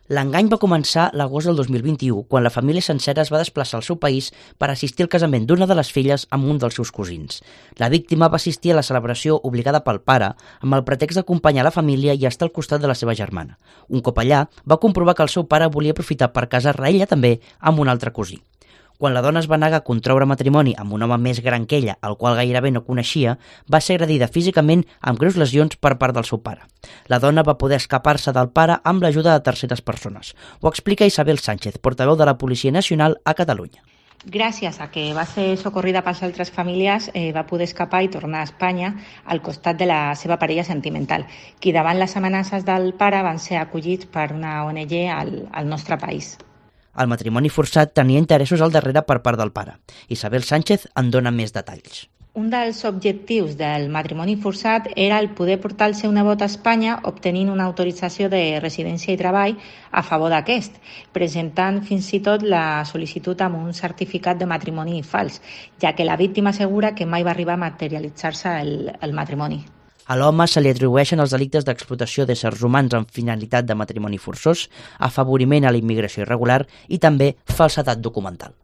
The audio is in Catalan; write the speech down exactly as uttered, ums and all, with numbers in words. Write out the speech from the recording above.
L'engany va començar l'agost del dos mil vint-i-u, quan la família sencera es va desplaçar al seu país per assistir al casament d'una de les filles amb un dels seus cosins. La víctima va assistir a la celebració obligada pel pare amb el pretext d'acompanyar la família i estar al costat de la seva germana. Un cop allà, va comprovar que el seu pare volia aprofitar per casar-la ella també amb un altre cosí. Quan la dona es va negar a contraure matrimoni amb un home més gran que ella, el qual gairebé no coneixia, va ser agredida físicament amb greus lesions per part del seu pare. La dona va poder escapar-se del pare amb l'ajuda de terceres persones. Ho explica Isabel Sánchez, portaveu de la Policia Nacional a Catalunya. Gràcies a que va ser socorrida pels altres familiars, eh, va poder escapar i tornar a Espanya al costat de la seva parella sentimental, qui davant les amenaces del pare van ser acollits per una O N G al, al nostre país. El matrimoni forçat tenia interessos al darrere per part del pare. Isabel Sánchez en dona més detalls. Un dels objectius del matrimoni forçat era el poder portar el seu nebot a Espanya obtenint una autorització de residència i treball a favor d'aquest, presentant fins i tot la sol·licitud amb un certificat de matrimoni fals, ja que la víctima assegura que mai va arribar a materialitzar-se el, el matrimoni. A l'home se li atribueixen els delictes d'explotació d'éssers humans amb finalitat de matrimoni forçós, afavoriment a la immigració irregular i també falsedat documental.